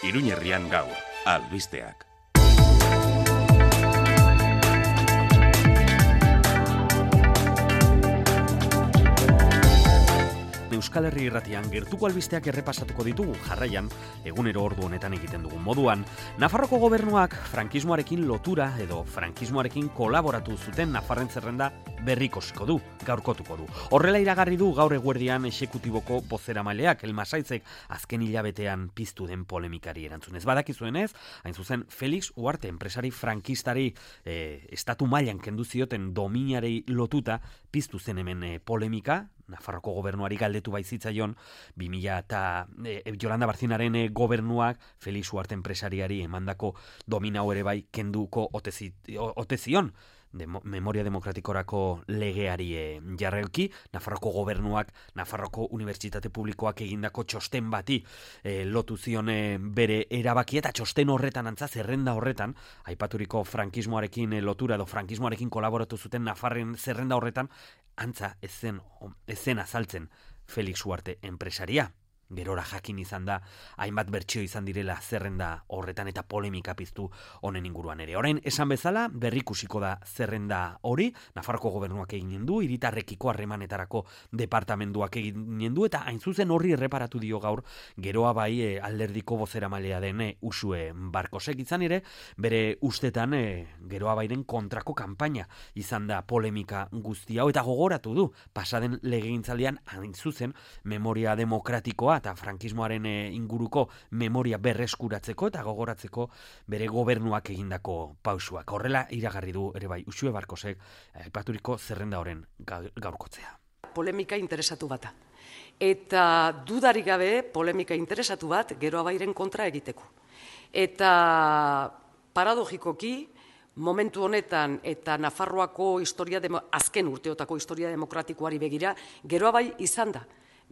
Iruñerrian gaur, albisteak. Euskal Herri Irratian gertuko albisteak errepasatuko ditugu jarraian, egunero ordu honetan egiten dugun moduan. Nafarroko gobernuak frankismoarekin lotura edo frankismoarekin kolaboratu zuten Nafarren zerrenda berrikosiko du, gaurkotuko du. Horrela iragarri du gaur eguerdian exekutiboko bozeramaileak Elmasaitzek azken hilabetean piztu den polemikari erantzunez. Badakizuenez, hain zuzen Felix Uarte enpresari frankistari estatu mailan kendu zioten dominarei lotuta piztu zen hemen polemika. Nafarroko gobernuari galdetu baizitzaion 2000 eta Yolanda Barcinaren gobernuak Felix Uarte enpresariari emandako dominau ere bai kenduko ote zion Memoria Demokratikorako legeari jarraiki. Nafarroko gobernuak Nafarroko Unibertsitate Publikoak egindako txosten bati lotu zion bere erabakia, eta txosten horretan antza zerrenda horretan aipaturiko frankismoarekin lotura edo frankismoarekin kolaboratu zuten Nafarren zerrenda horretan antza ez zen azaltzen Felix Uarte enpresaria. Gerora jakin izan da, hainbat bertsio izan direla zerrenda horretan eta polemika piztu honen inguruan ere. Orain, esan bezala, berrikusiko da zerrenda hori, Nafarroko gobernuak eginen du, hiritarrekiko harremanetarako departamenduak eginen du, eta hain zuzen horri erreparatu dio gaur, geroa bai alderdiko bozeramailea den Uxue Barkosek izan ere, bere ustetan geroa bairen kontrako kanpaina izan da polemika guzti hau, eta gogoratu du, pasaden legegintzaldian hain zuzen Memoria Demokratikoa eta frankismoaren inguruko memoria berreskuratzeko eta gogoratzeko bere gobernuak egindako pausuak. Horrela iragarri du ere bai Uxue Barkosek aipaturiko zerrenda horren gaurkotzea. Polemika interesatu bata. Eta dudarik gabe polemika interesatu bat geroa bairen kontra egiteko. Eta paradogikoki momentu honetan eta Nafarroako azken urteotako historia demokratikoari begira, geroa bai izan da.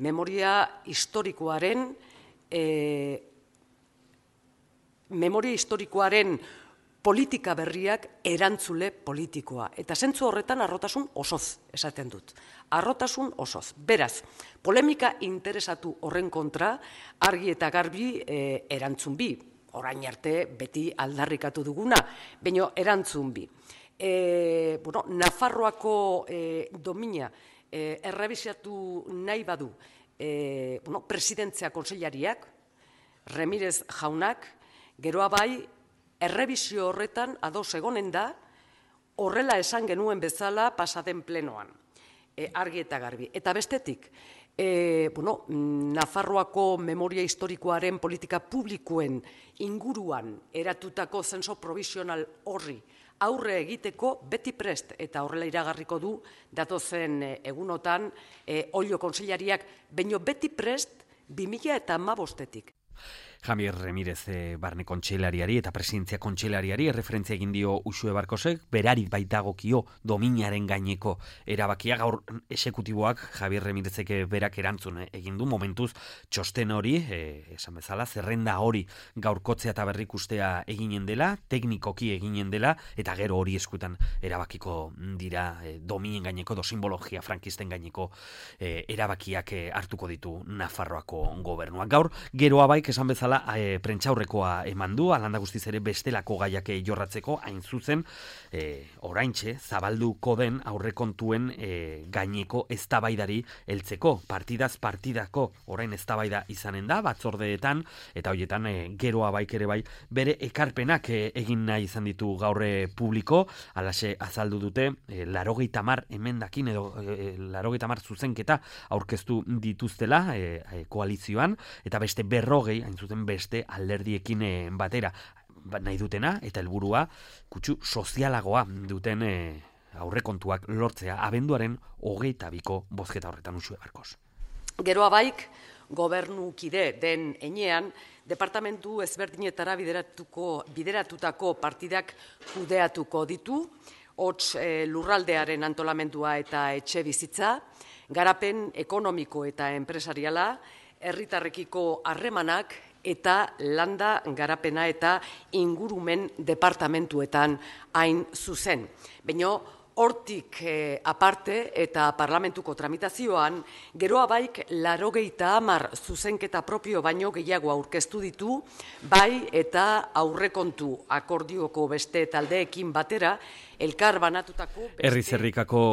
Memoria historikoaren politika berriak erantzule politikoa. Eta zentzu horretan arrotasun osoz esaten dut. Arrotasun osoz. Beraz, polemika interesatu horren kontra argi eta garbi erantzun bi. Orain arte beti aldarrikatu duguna, baina erantzun bi. Nafarroako domina errebisatu nahi badu presidentzia kontseilariak, Remirez jaunak, geroa bai errebisio horretan ados egonen da, horrela esan genuen bezala pasaden plenoan, argi eta garbi. Eta bestetik, Nafarroako memoria historikoaren politika publikoen inguruan eratutako zenso provisional horri aurre egiteko beti prest, eta horrela iragarriko du datozen egunotan Olio kontseilariak, baino beti prest 2015-etik. Javier Remirez barne kontseilariari eta presidentzia kontseilariari erreferentzia egin dio Uxue Barkosek, berari baitagokio dominaren gaineko erabakia. Gaur exekutiboak Javier Remirezek berak erantzun egin du momentuz txosten hori, esan bezala, zerrenda hori gaurkotzea eta berrikustea eginen dela, teknikoki eginen dela, eta gero hori eskutan erabakiko dira dominen gaineko, simbologia frankisten gaineko erabakiak hartuko ditu Nafarroako gobernuak. Gaur, geroa baik esan bezala prentsaurrekoa eman du, alanda guztiz ere bestelako gaiak jorratzeko, hain zuzen, oraintxe, zabalduko den aurrekontuen gaineko eztabaidari heltzeko, partidaz partidako orain eztabaida izanen da, batzordeetan, eta horietan geroa baik ere bai, bere ekarpenak egin nahi izan ditu gaurre publiko, alaxe azaldu dute, 80 emendakin edo 80 zuzenketa aurkeztu dituztela koalizioan, eta beste 40, hain zuten beste alderdiekin batera nahi dutena, eta helburua kutsu sozialagoa duten aurrekontuak lortzea abenduaren 22ko bozketa horretan Uxue Barkos. Geroa baik, gobernukide den enean, departamentu ezberdinetara bideratutako partidak kudeatuko ditu, hots lurraldearen antolamendua eta etxe bizitza, garapen ekonomiko eta enpresariala, herritarrekiko harremanak eta landa garapena eta ingurumen departamentuetan hain zuzen. Baina Hortik aparte eta parlamentuko tramitazioan, geroa baik 80 zuzenketa propio baino gehiago aurkeztu ditu, bai eta aurrekontu akordioko beste taldeekin batera, elkar banatutako... Herri-zerrikako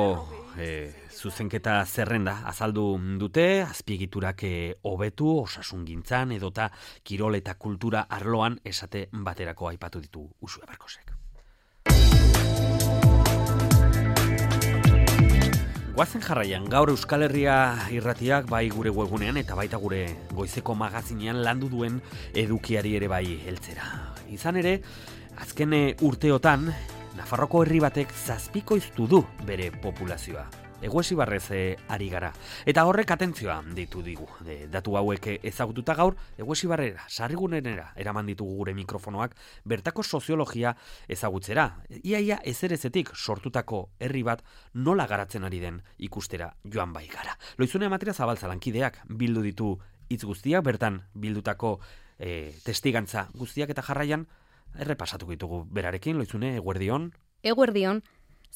zuzenketa zerrenda azaldu dute, azpiegiturak hobetu, osasungintzan edota kirol eta kultura arloan esate baterako aipatu ditu Uxue Barkosek. Goazen jarraian, gaur Euskal Herria irratiak bai gure webgunean eta baita gure goizeko magazinean landu duen edukiari ere bai heltzera. Izan ere, azken urteotan, Nafarroko herri batek zazpikoiztu du bere populazioa. Eguesibarrez ari gara. Eta horrek atentzioa ditu digu. Datu hauek ezagututa gaur, Eguesibarrera, sarrigunera eraman ditugu gure mikrofonoak, bertako soziologia ezagutzera. Iaia ezerezetik sortutako herri bat nola garatzen ari den ikustera joan bai gara. Loizune Amatera Zabaltza lankideak bildu ditu hitz guztiak, bertan bildutako testigantza guztiak eta jarraian errepasatuko ditugu berarekin. Loizune, eguerdion. Eguerdion.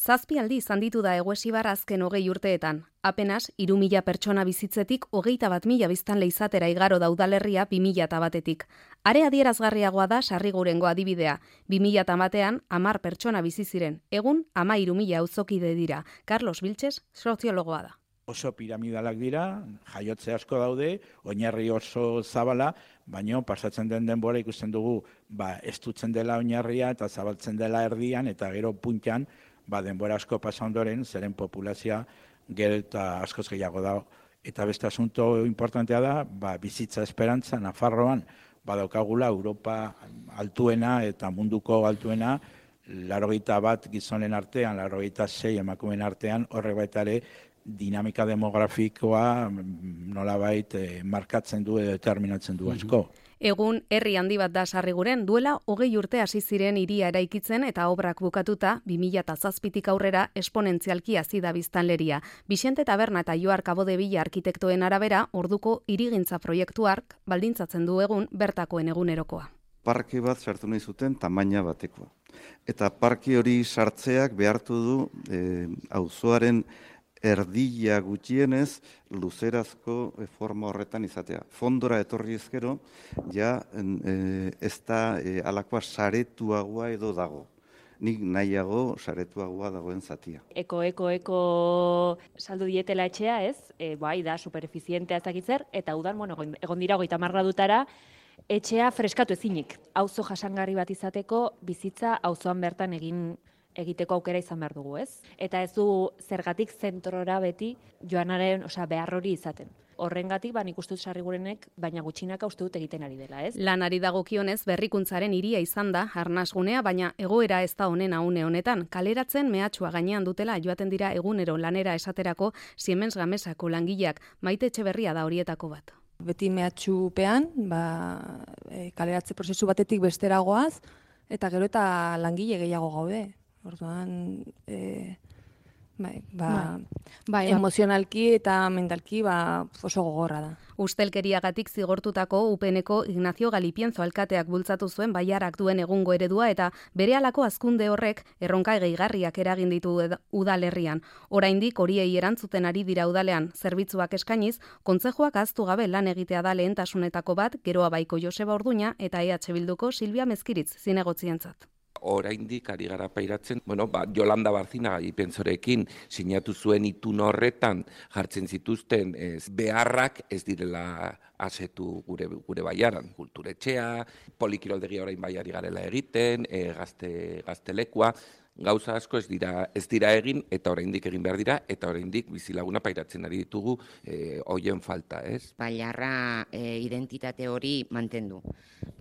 7 aldiz handitu da Eguesibar azken 20 urteetan. Apenas 3.000 pertsona bizitzetik 21.000 biztanle izatera igaro da udalerria 2001-etik. Are adierazgarriagoa da Sarrigurengo adibidea. 2001ean 10 pertsona bizi ziren. Egun 13.000 auzokide dira. Carlos Vilches soziologoa da. Oso piramidalak dira, jaiotze asko daude, oinarri oso zabala, baino pasatzen den denbora ikusten dugu, estutzen dela oinarria eta zabaltzen dela erdian eta gero puntan, denbora asko pasa ondoren, zeren populazioa gero eta askoz gehiago da. Eta beste asunto importantea da, bizitza esperantza Nafarroan badaukagula Europa altuena eta munduko altuena, 81 gizonen artean, 86 emakumeen artean, horrek baita ere dinamika demografikoa nolabait markatzen du edo determinatzen du asko. Egun herri handi bat da Sarriguren, duela 20 urte hasi ziren hiria eraikitzen eta obrak bukatuta 2007tik aurrera esponentzialki hazi da biztanleria. Bixente Taberna eta Joar Kabodebila arkitektoen arabera, orduko hirigintza proiektuak baldintzatzen du egun bertakoen egunerokoa. Parke bat sartu nahi zuten tamaina batekoa. Eta parke hori sartzeak behartu du auzoaren erdila gutxienez luzerazko forma horretan izatea. Fondora etorri ezkero, ja ez da alakoa saretuagoa edo dago. Nik nahiago saretuagoa dagoen zatia. Eko saldu dietela etxea, ez? Bai, da superefizientea ezakitzer, eta udan, egon dira 30 gradutara, etxea freskatu ezinik. Auzo jasangarri bat izateko, bizitza auzoan bertan egiteko aukera izan behar dugu, ez? Eta ez du zergatik zentrora beti joanaren, behar hori izaten. Horrengatik, nik uste dut Sarrigurenek, baina gutxinaka uste dut egiten ari dela, ez? Lanari dagokionez berrikuntzaren hiria izan da, arnasgunea, baina egoera ez da honena une honetan. Kaleratzen mehatxua gainean dutela joaten dira egunero lanera esaterako Siemens Gamesako langileak, Maite Etxeberria da horietako bat. Beti mehatxupean, kaleratze prozesu batetik besteragoaz, eta gero eta langile gehiago gaude. Orduan, emozionalki eta mentalki oso gogorra da. Ustelkeriagatik zigortutako UPNeko Ignacio Galipienzo alkateak bultzatu zuen Baiarak duen egungo eredua eta berehalako hazkunde horrek erronka gehigarriak eragin ditu udalerrian. Oraindik horiei erantzuten ari dira udalean zerbitzuak eskainiz, kontzejuak ahaztu gabe lan egitea da lehentasunetako bat, Geroa Baiko Joseba Orduña eta EH Bilduko Silvia Mezkiritz zinegotzientzat. Oraindik ari gara pairatzen, Jolanda Barzina Galipienzorekin sinatu zuen itun horretan jartzen zituzten beharrak ez direla asetu gure baiaran. Kulturetxea, polikiroldegia orain baiari garela egiten, gaztelekua, gauza asko ez dira egin eta oraindik egin behar dira eta oraindik bizilaguna pairatzen ari ditugu hoien falta, ez? Baiarra identitate hori mantendu.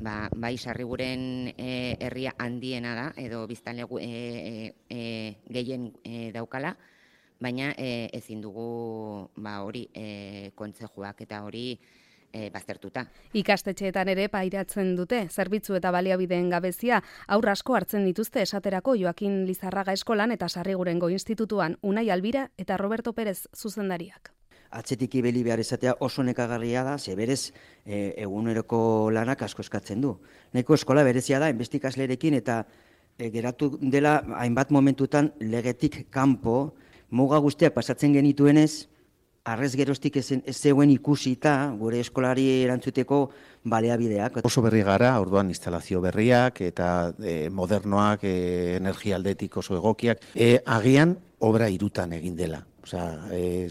Bai Sarriguren herria handiena da edo biztanle gehien daukala, baina ezin dugu hori kontzejuak eta hori baztertuta. Ikastetxeetan ere pairatzen dute, zerbitzu eta baliabideen gabezia, aur asko hartzen dituzte esaterako Joakin Lizarraga eskolan eta Sarrigurengo institutuan Unai Albira eta Roberto Pérez zuzendariak. Atzetik ibili behar izatea oso nekagarria da, ze berez eguneroko lanak asko eskatzen du. Nahiko eskola berezia da, enbeste ikaslerekin eta geratu dela hainbat momentutan legetik kanpo, muga guztiak pasatzen genituenez, arrez geroztik ez zegoen ikusita gure eskolari erantzuteko baliabideak. Oso berri gara, orduan instalazio berriak eta modernoak, energia aldetik oso egokiak. Agian obra irutan egin dela.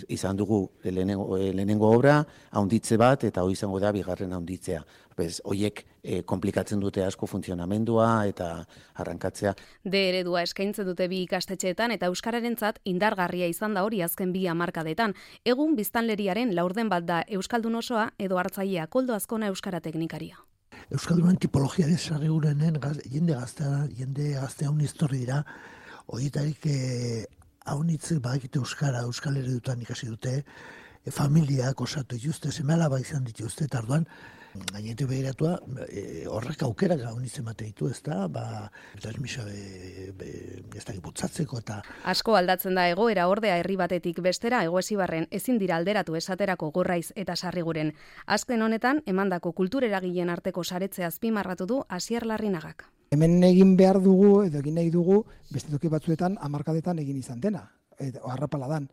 Izan dugu lehenengo obra, haunditze bat, eta hori izango da bigarren haunditzea. Horiek komplikatzen dute asko funtzionamendua eta arrankatzea. D eredua eskaintzen dute bi ikastetxeetan eta euskararentzat indargarria izan da hori azken 2 hamarkadetan. Egun biztanleriaren laurden bat da euskaldun osoa edo hartzailea. Koldo Azkona euskara teknikaria. Euskaldunen tipologia desarregurenen jende gaztea un histori dira, horietarik haunitzik badakite euskal eredutan ikasi dute, familiak osatu dituzte, seme-alaba izan dituzte, eta orduan, gainetu behiratua, horrek aukerak haunitzen mate ditu, ez da, transmisio ez da giputzatzeko eta... Asko aldatzen da egoera ordea herri batetik bestera Egoesibarren ezin dira alderatu esaterako Gorraiz eta Sarriguren. Azken honetan, emandako kultureragileen arteko saretzea azpimarratu du Asier Larrinagak. Hemen egin behar dugu, edo egin nahi dugu, beste toki batzuetan, hamarkadetan egin izan dena, harrapaladan.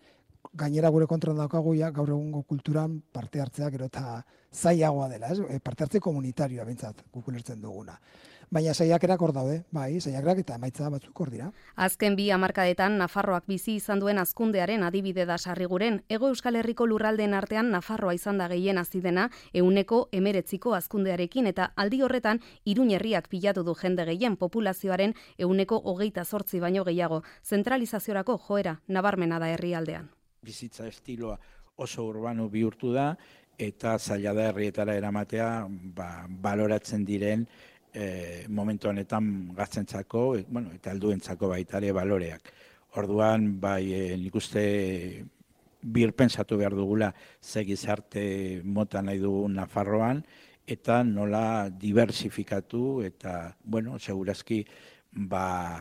Gainera gure kontrol daukagu gaur egungo kulturan parte hartzea gero eta zailagoa dela, parte hartze komunitarioa bentsat guk ulertzen duguna. Baina saiakerak hor daude, saiakerak eta emaitza batzuk hor dira. Azken 2 hamarkadetan Nafarroak bizi izan duen hazkundearen adibide da Sarriguren. Hego Euskal Herriko lurraldeen artean Nafarroa izan da gehien hazi dena 119ko hazkundearekin eta aldi horretan Iruñ herriak pilatu du jende gehien populazioaren 128 baino gehiago. Zentralizaziorako joera nabarmena da herrialdean. Bizitza estiloa oso urbano bihurtu da eta zaila da herrietara eramatea baloratzen diren momentu honetan gaztentzako, eta helduentzako baita ere baloreak. Orduan, nik uste birpentsatu behar dugula ze gizarte mota nahi dugu Nafarroan, eta nola diversifikatu, eta, segurazki,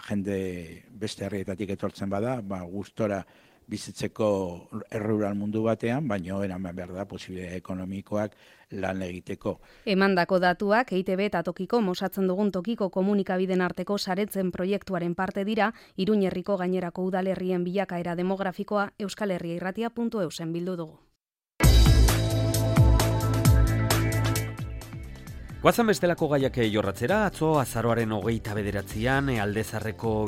jende beste herrietatik etortzen bada, gustora bizitzeko errural mundu batean, baina eraman behar da posibilitatea ekonomikoak lan egiteko. Emandako datuak EITB eta tokiko mosatzen dugun tokiko komunikabiden arteko saretzen proiektuaren parte dira, Iruñ herriko gainerako udalerrien bilakaera demografikoa euskalherriairratia.eusen bildu dugu. Guazan bestelako gaiak jorratzera, atzo azaroaren 29an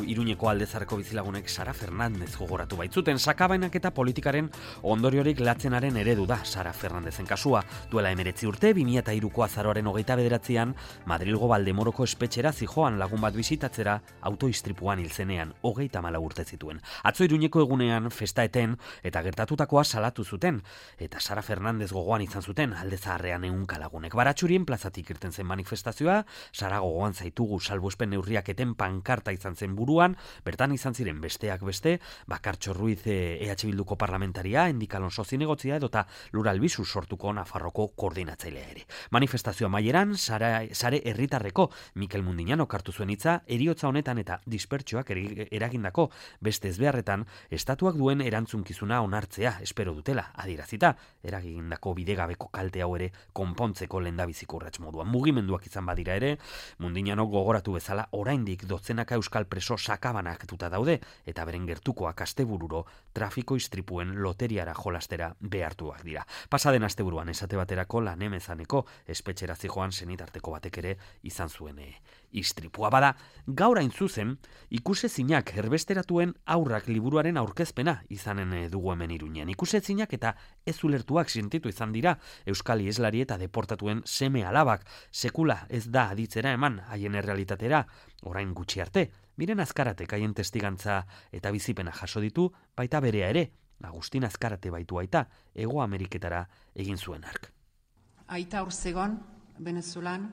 Iruñeko Aldezarreko bizilagunek Sara Fernandez gogoratu baitzuten. Sakabainak eta politikaren ondoriorik latzenaren eredu da Sara Fernandezen kasua. Duela 19 urte, 2003ko azaroaren 29an Madrilgo Valdemoroko espetxera zijoan lagun bat bisitatzera autoistripuan hilzenean 34 urte zituen. Atzo Iruñeko egunean festaeten eta gertatutakoa salatu zuten, eta Sara Fernandez gogoan izan zuten Aldezaharrean 100 lagunek. Baratxurien plazatik irten zen manifestazioa, Sara gogoan zaitugu salbuespen neurriak eten pankarta izan zen buruan, bertan izan ziren besteak beste, Bakartxo Ruiz EH Bilduko parlamentaria, Endik Alonso zinegotzia edota Luralbizu sortuko Nafarroko koordinatzailea ere. Manifestazioa maieran, sare herritarreko Mikel Mundiñanok hartu zuen hitza, heriotza honetan eta dispertsioak eragindako beste ezbeharretan, estatuak duen erantzunkizuna onartzea espero dutela, adierazita, eragindako bidegabeko kalte hau ere konpontzeko lehendabiziko urrats moduan. Mugimenduak izan badira ere, Mundiñanok gogoratu bezala oraindik dotzenaka euskal preso sakabanaktuta daude eta beren gertukoak astebururo trafiko istripuen loteriara jolastera behartuak dira. Pasaden asteburuan esate baterako Lanemezaneko espetxera zijoan senitarteko batek ere izan zuen istripua. Bada, gaur hain zuzen, ikusezinak erbesteratuen aurrak liburuaren aurkezpena izanen dugu hemen Iruñean. Ikusezinak eta ez ulertuak sentitu izan dira euskal ieslari eta deportatuen seme alabak. Sekula ez da aditzera eman haien errealitatera, orain gutxi arte. Miren Azkaratek haien testigantza eta bizipena jaso ditu, baita berea ere. Agustin Azkarate baitu aita, Hego Ameriketara egin zuen ark. Aita Orzegon, Venezuelan,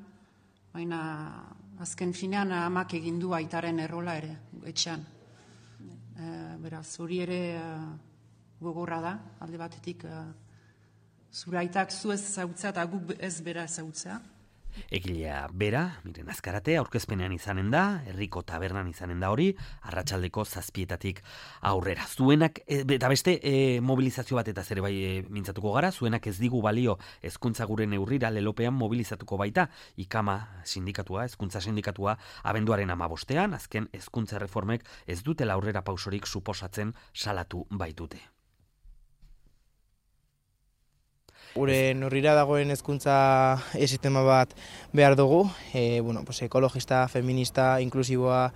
baina azken finean amak egin du aitaren errola ere, etxean. Beraz, hori ere gogorra da, alde batetik zure aitak zu ez zautzea eta guk ez bera zautzea. Egilea bera, Miren Azkarate, aurkezpenean izanen da, herriko tabernan izanen da hori, arratsaldeko 7:00 aurrera. Zuenak, eta beste mobilizazio bat eta ere bai mintzatuko gara, zuenak ez digu balio hezkuntza gure neurrira lelopean mobilizatuko baita, IKAMA sindikatua, hezkuntza sindikatua, abenduaren 15, azken hezkuntza reformek ez dutela aurrera pausorik suposatzen salatu baitute. Gure neurrira dagoen hezkuntza sistema bat behar dugu, ekologista, feminista, inklusiboa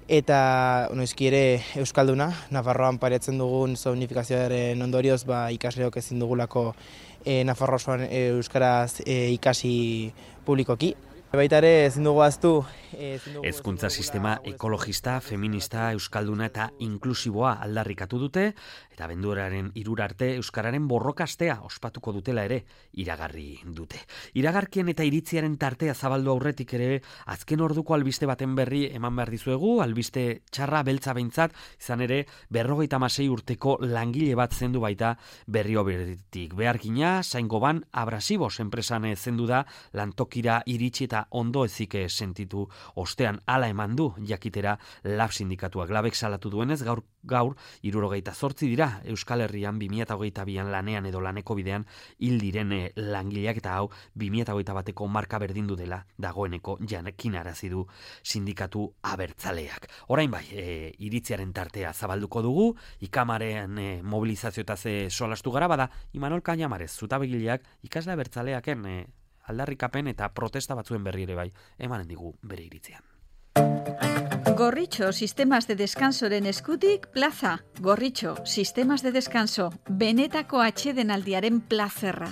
eta noizki ere euskalduna. Nafarroan paretzen dugun zonifikazioaren ondorioz ikasleok ezin dugulako Nafarro osoan euskaraz ikasi publikoki. Baita ere ezin dugu ahaztu hezkuntza sistema ekologista, feminista, euskalduna eta inklusiboa aldarrikatu dute, eta abenduaren 3 arte euskararen borrokastea ospatuko dutela ere iragarri dute. Iragarkien eta iritziaren tartea zabaldu aurretik ere azken orduko albiste baten berri eman behar dizuegu, albiste txarra beltza behintzat, izan ere 56 urteko langile bat zendu baita Berrioberritik. Beharkina, Saingoban Abrasibos enpresan zendu da lantokira iritsi eta ondo ezik sentitu ostean hala eman du jakitera LAB sindikatuak. LABek salatu duenez gaur 78 dira Euskal Herrian 2022an lanean edo laneko bidean hil diren langileak, eta hau 2021eko marka berdindu dela dagoeneko jakinarazi du sindikatu abertzaleak. Orain bai, iritziaren tartea zabalduko dugu, IKAMaren mobilizazioetaz solastu gara, bada Imanol Cañamarez zutabegileak ikasle abertzaleaken aldarrikapen eta protesta batzuen berri ere bai emanen digu bere iritzian. Gorritxo Sistemas de Descansoren eskutik plaza. Gorritxo Sistemas de Descanso, benetako atsedenaldiaren plazerra.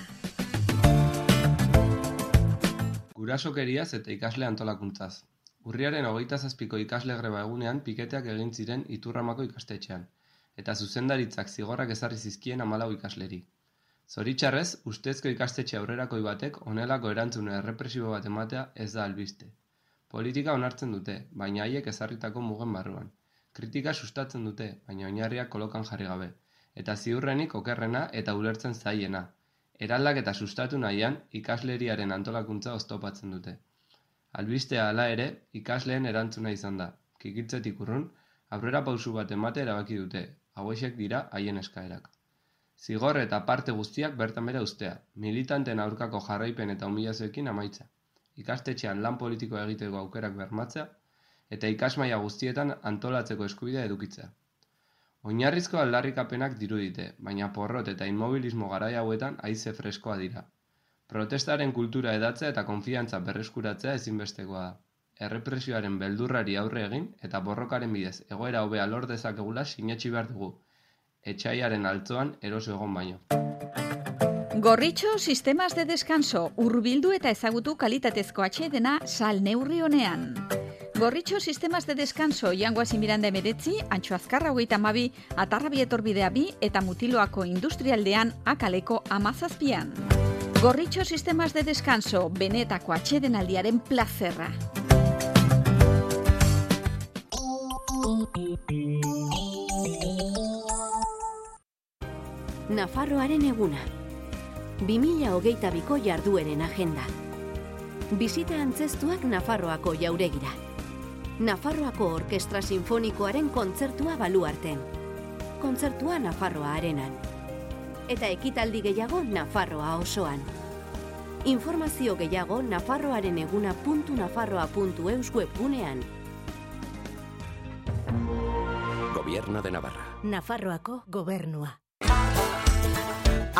Gurasokeriaz eta ikasle antolakuntzaz. Urriaren 27ko ikasle greba egunean piketeak egin ziren Iturramako ikastetxean, eta zuzendaritzak zigorrak ezarri zizkien 14 ikasleri. Zoritxarrez, ustezko ikastetxe aurrerakoi batek honelako erantzune errepresibo bat ematea ez da albiste. Politika onartzen dute, baina haiek ezarritako mugen barruan. Kritika sustatzen dute, baina oinarriak kolokan jarri gabe. Eta ziurrenik okerrena eta ulertzen zaiena. Eraldak eta sustatu nahian, ikasleriaren antolakuntza oztopatzen dute. Albistea hala ere, ikasleen erantzuna izan da. Kikiltzetik urrun, aurrera pausu bat emate erabaki dute. Hauexek dira haien eskaerak. Zigor eta parte guztiak bertan bera ustea, militanten aurkako jarraipen eta humilazioekin amaitza. Ikastetxean lan politikoa egiteko aukerak bermatzea, eta ikasmaila guztietan antolatzeko eskubidea edukitzea. Oinarrizko aldarrikapenak dirudite, baina porrot eta inmobilismo garai hauetan haize freskoa dira. Protestaren kultura edatzea eta konfiantza berreskuratzea ezinbestekoa da. Errepresioaren beldurrari aurre egin eta borrokaren bidez egoera hobea lor dezakegula sinetsi behar dugu. Etxaiaren altzoan eroso egon baino. Gorritxo Sistemas de Descanso, hurbildu eta ezagutu kalitatezko atsedena sal neurri honean. Gorritxo Sistemas de Descanso, Jangoasi Miranda 19, Antxo Azkarra 32, Atarrabi etorbidea 2 eta Mutiloako industrialdean Akaleko 17. Gorritxo Sistemas de Descanso, benetako atsedenaldiaren plazerra. Nafarroaren eguna. 2022ko jardueren agenda. Bisita antzestuak Nafarroako jauregira. Nafarroako Orkestra Sinfonikoaren kontzertua Baluarten. Kontzertua Nafarroa Arenan. Eta ekitaldi gehiago Nafarroa osoan. Informazio gehiago nafarroareneguna.nafarroa.eus webgunean. Gobierno de Navarra. Nafarroako gobernua.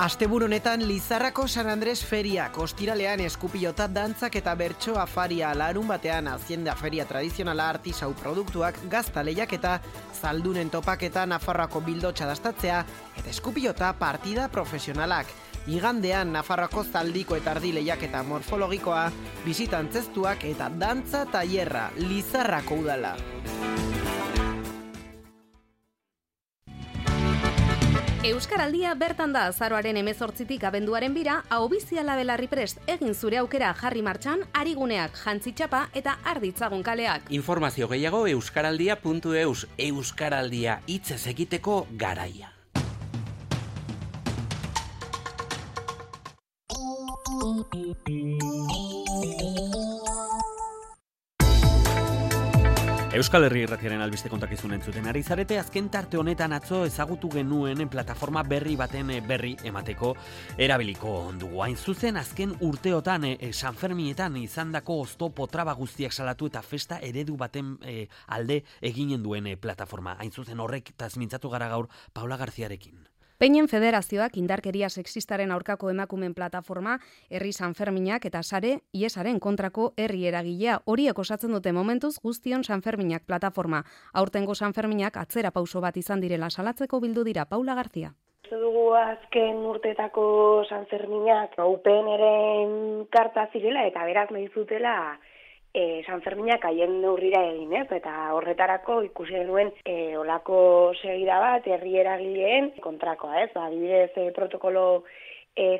Asteburu honetan Lizarrako San Andres feriak, ostiralean eskupilota dantzak eta bertso afaria, larun batean Hacienda feria tradizionala artisau produktuak, gazta lehiaketa, zaldunen topaketa, Nafarroako bildotxa dastatzea eta eskupilota partida profesionalak. Igandean Nafarroako zaldiko eta ardi lehiaketa morfologikoa, bisitantzestuak eta dantza tailerra, Lizarrako udala. Euskaraldia bertan da azaroaren 18tik abenduaren 2, ahobiziala belarri prest, egin zure aukera jarri martxan, ariguneak, jantzitxapa eta arditzagun kaleak. Informazio gehiago euskaraldia.eus, Euskaraldia hitzez egiteko garaia. Euskal Herri Irratiaren albiste kontakizun entzuten ari zarete, azken tarte honetan atzo ezagutu genuen plataforma berri baten berri emateko erabiliko dugu. Hain zuzen, azken urteotan San Ferminetan izandako oztopo traba guztiak salatu eta festa eredu baten alde eginen duen plataforma. Hain zuzen horrek tazmintzatu gara gaur Paula Garziarekin. Peinen Federazioak indarkeria sexistaren aurkako emakumen plataforma, herri Sanferminak eta sare iesaren kontrako herri eragilea horiek osatzen dute momentuz guztion Sanferminak plataforma. Aurtengo Sanferminak atzera pauso bat izan direla salatzeko bildu dira. Paula Garzia. Dugu azken urtetako Sanferminak UPNren karta zirela eta beraz nahi zutela Sanferminak haien neurrira egin, eta horretarako ikusi genuen olako segida bat herri eragileen kontrakoa, adibidez protokolo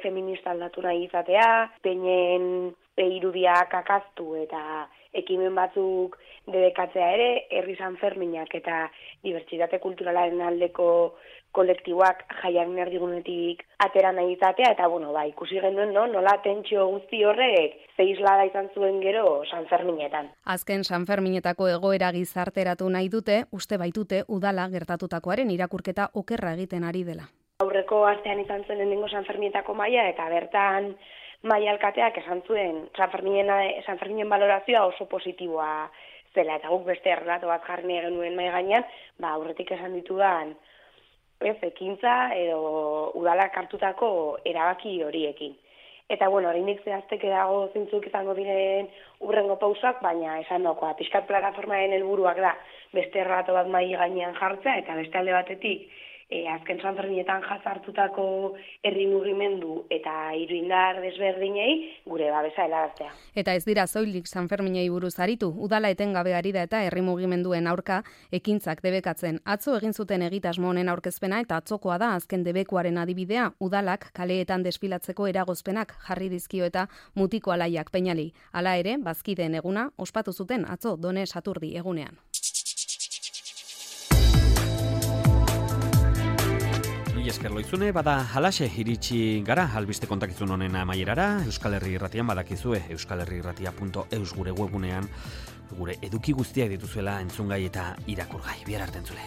feminista aldatu nahi izatea, peinen irudiak akaztu eta ekimen batzuk debekatzea ere, herri Sanferminak eta dibertsitate kulturalaren aldeko kolektiboak jaiaren erdigunetik atera nahi izatea, eta ikusi genuen nola tentsio guzti horrek zeislada izan zuen gero Sanferminetan. Azken Sanferminetako egoera gizarteratu nahi dute, uste baitute udala gertatutakoaren irakurketa okerra egiten ari dela. Aurreko astean izan zen lehenengo Sanferminetako maila, eta bertan maila alkateak esan zuen Sanferminen balorazioa oso positiboa zela, eta guk beste errelato bat jarri genuen mahai gainean, aurretik esan ditudan ekintza edo udalak hartutako erabaki horiekin. Eta oraindik zehazteke dago zeintzuk izango diren hurrengo pausak, baina esan dagoa, pixkat plataformaren helburuak da beste errelato bat mahai gainean jartzea, eta beste alde batetik azken Sanferminetan jazartutako herri mugimendu eta hiruindar desberdinei gure babesa helaraztea. Eta ez dira soilik Sanferminei buruz aritu, udala etengabe ari da eta herri mugimenduen aurka ekintzak debekatzen. Atzo egin zuten egitasmo honen aurkezpena eta atzokoa da azken debekuaren adibidea, udalak kaleetan desfilatzeko eragozpenak jarri dizkio eta mutiko alaiak peinali. Hala ere, bazkideen eguna ospatu zuten atzo Done Saturdi egunean. Esker loizune, bada halaxe iritsi gara albiste kontakizun honen amaierara. Euskal Herri Irratian badakizue, euskalherriirratia.eus gure webunean gure eduki guztiak dituzuela entzungai eta irakurgai. Bihar arte entzule.